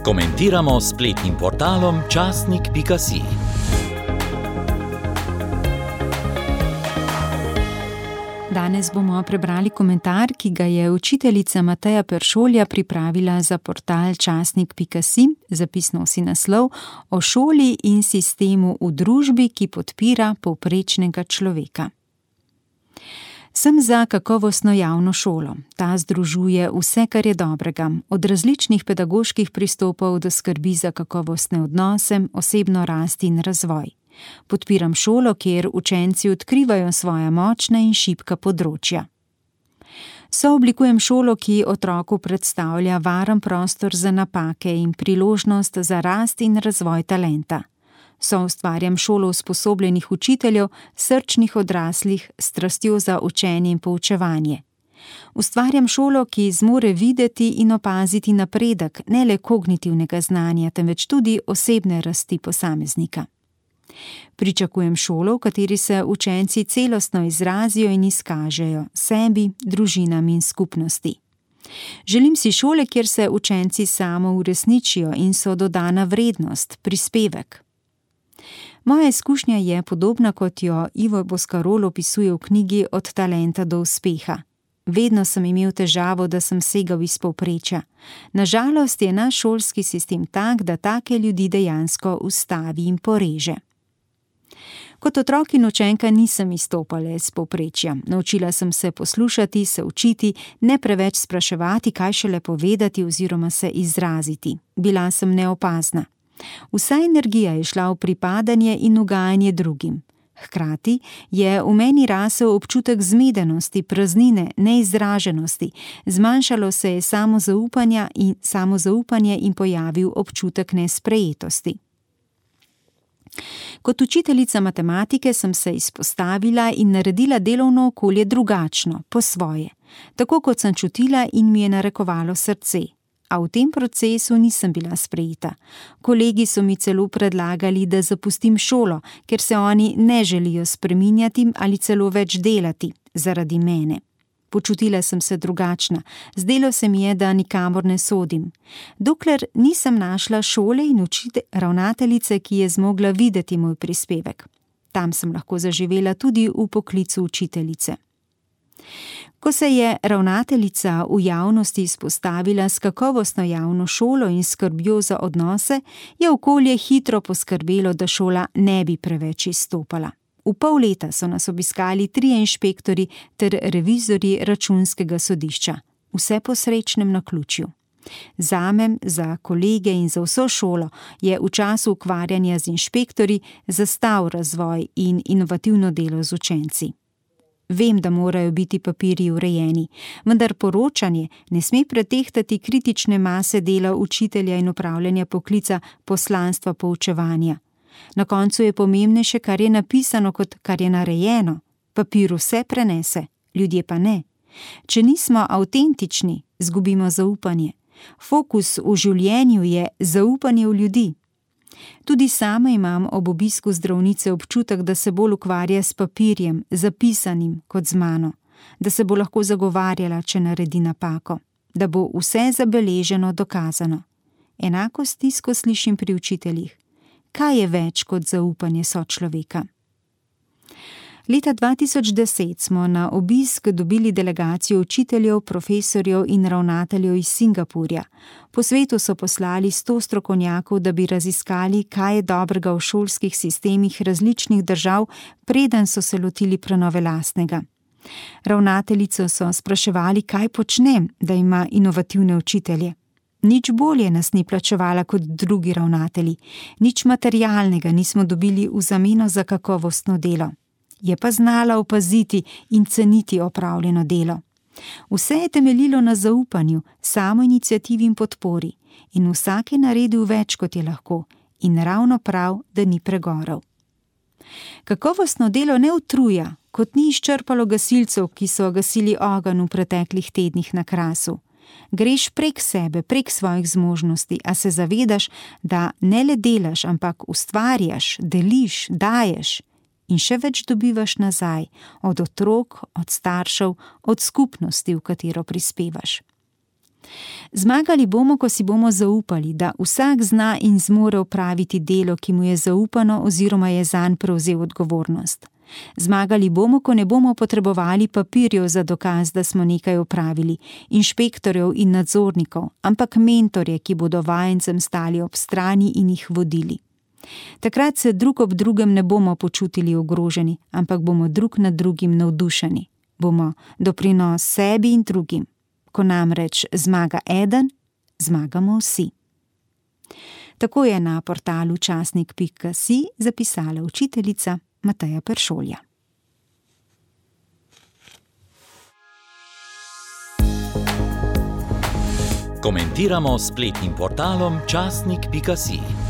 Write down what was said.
Komentiramo s spletnim portalom časnik.si. Danes bomo prebrali komentar, ki ga je učiteljica Mateja Peršolja pripravila za portal časnik.si. Zapisno nosi naslov o šoli in sistemu v družbi, ki podpira povprečnega človeka. Sem za kakovostno javno šolo. Ta združuje vse, kar je dobrega, od različnih pedagoških pristopov do skrbi za kakovostne odnose, osebno rast in razvoj. Podpiram šolo, kjer učenci odkrivajo svoja močna in šibka področja. Sooblikujem šolo, ki otroku predstavlja varen prostor za napake in priložnost za rast in razvoj talenta. Soustvarjam šolo usposobljenih učiteljev, srčnih odraslih, s strastjo za učenje in poučevanje. Ustvarjam šolo, ki zmore videti in opaziti napredek ne le kognitivnega znanja, temveč tudi osebne rasti posameznika. Pričakujem šolo, v kateri se učenci celostno izrazijo in izkažejo sebi, družinam in skupnosti. Želim si šole, kjer se učenci samo uresničijo in so dodana vrednost, prispevek. Moja izkušnja je podobna, kot jo Ivo Boscarol opisuje v knjigi Od talenta do uspeha. Vedno sem imel težavo, da sem segal iz povprečja. Na žalost je naš šolski sistem tak, da take ljudi dejansko ustavi in poreže. Kot otrok in učenka nisem izstopala iz povprečja. Naučila sem se poslušati, se učiti, ne preveč spraševati, kaj šele povedati oziroma se izraziti. Bila sem neopazna. Vsa energija je šla v pripadanje in ugajanje drugim. Hkrati je v meni rasel občutek zmedenosti, praznine, neizraženosti, zmanjšalo se je samozaupanje in pojavil občutek nesprejetosti. Kot učiteljica matematike sem se izpostavila in naredila delovno okolje drugačno, po svoje, tako kot sem čutila in mi je narekovalo srce. A v tem procesu nisem bila sprejeta. Kolegi so mi celo predlagali, da zapustim šolo, ker se oni ne želijo spreminjati ali celo več delati zaradi mene. Počutila sem se drugačna, zdelo se mi je, da nikamor ne sodim. Dokler nisem našla šole in ravnateljice, ki je zmogla videti moj prispevek. Tam sem lahko zaživela tudi v poklicu učiteljice. Ko se je ravnateljica v javnosti izpostavila s kakovostno javno šolo in skrbjo za odnose, je okolje hitro poskrbelo, da šola ne bi preveč izstopala. V pol leta so nas obiskali 3 inšpektorji ter revizorji računskega sodišča. Vse po srečnem naključju. Zame, za kolege in za vso šolo je v času ukvarjanja z inšpektorji zastal razvoj in inovativno delo z učenci. Vem, da morajo biti papirji urejeni, vendar poročanje ne sme pretehtati kritične mase dela učitelja in upravljanja poklica poslanstva poučevanja. Na koncu je pomembnejše, kar je napisano, kot kar je narejeno. Papir vse prenese, ljudje pa ne. Če nismo avtentični, izgubimo zaupanje. Fokus v življenju je zaupanje v ljudi. Tudi sama imam ob obisku zdravnice občutek, da se bolj ukvarja s papirjem, zapisanim kot z mano, da se bo lahko zagovarjala, če naredi napako, da bo vse zabeleženo, dokazano. Enako stisko slišim pri učiteljih. Kaj je več kot zaupanje sočloveka? Leta 2010 smo na obisk dobili delegacijo učiteljev, profesorjev in ravnateljev iz Singapurja. Po svetu so poslali 100 strokovnjakov, da bi raziskali, kaj je dobrega v šolskih sistemih različnih držav, preden so se lotili prenove lastnega. Ravnateljico so spraševali, kaj počnem, da ima inovativne učitelje. Nič bolje nas ni plačevala kot drugi ravnatelji, nič materialnega nismo dobili v zameno za kakovostno delo. Je pa znala opaziti in ceniti opravljeno delo. Vse je temeljilo na zaupanju, samoiniciativi in podpori in vsak je naredil več, kot je lahko, in ravno prav, da ni pregorel. Kakovostno delo ne utruja, kot ni izčrpalo gasilcev, ki so gasili ogenj v preteklih tednih na Krasu. Greš prek sebe, prek svojih zmožnosti, a se zavedaš, da ne le delaš, ampak ustvarjaš, deliš, daješ in še več dobivaš nazaj, od otrok, od staršev, od skupnosti, v katero prispevaš. Zmagali bomo, ko si bomo zaupali, da vsak zna in zmore opraviti delo, ki mu je zaupano oziroma je zanj prevzel odgovornost. Zmagali bomo, ko ne bomo potrebovali papirjev za dokaz, da smo nekaj opravili, inšpektorjev in nadzornikov, ampak mentorje, ki bodo vajencem stali ob strani in jih vodili. Takrat se drug ob drugem ne bomo počutili ogroženi, ampak bomo drug nad drugim navdušeni. Bomo doprinos sebi in drugim. Ko namreč zmaga eden, zmagamo vsi. Tako je na portalu časnik.si zapisala učiteljica Mateja Peršolja. Komentiramo s spletnim portalom časnik.si.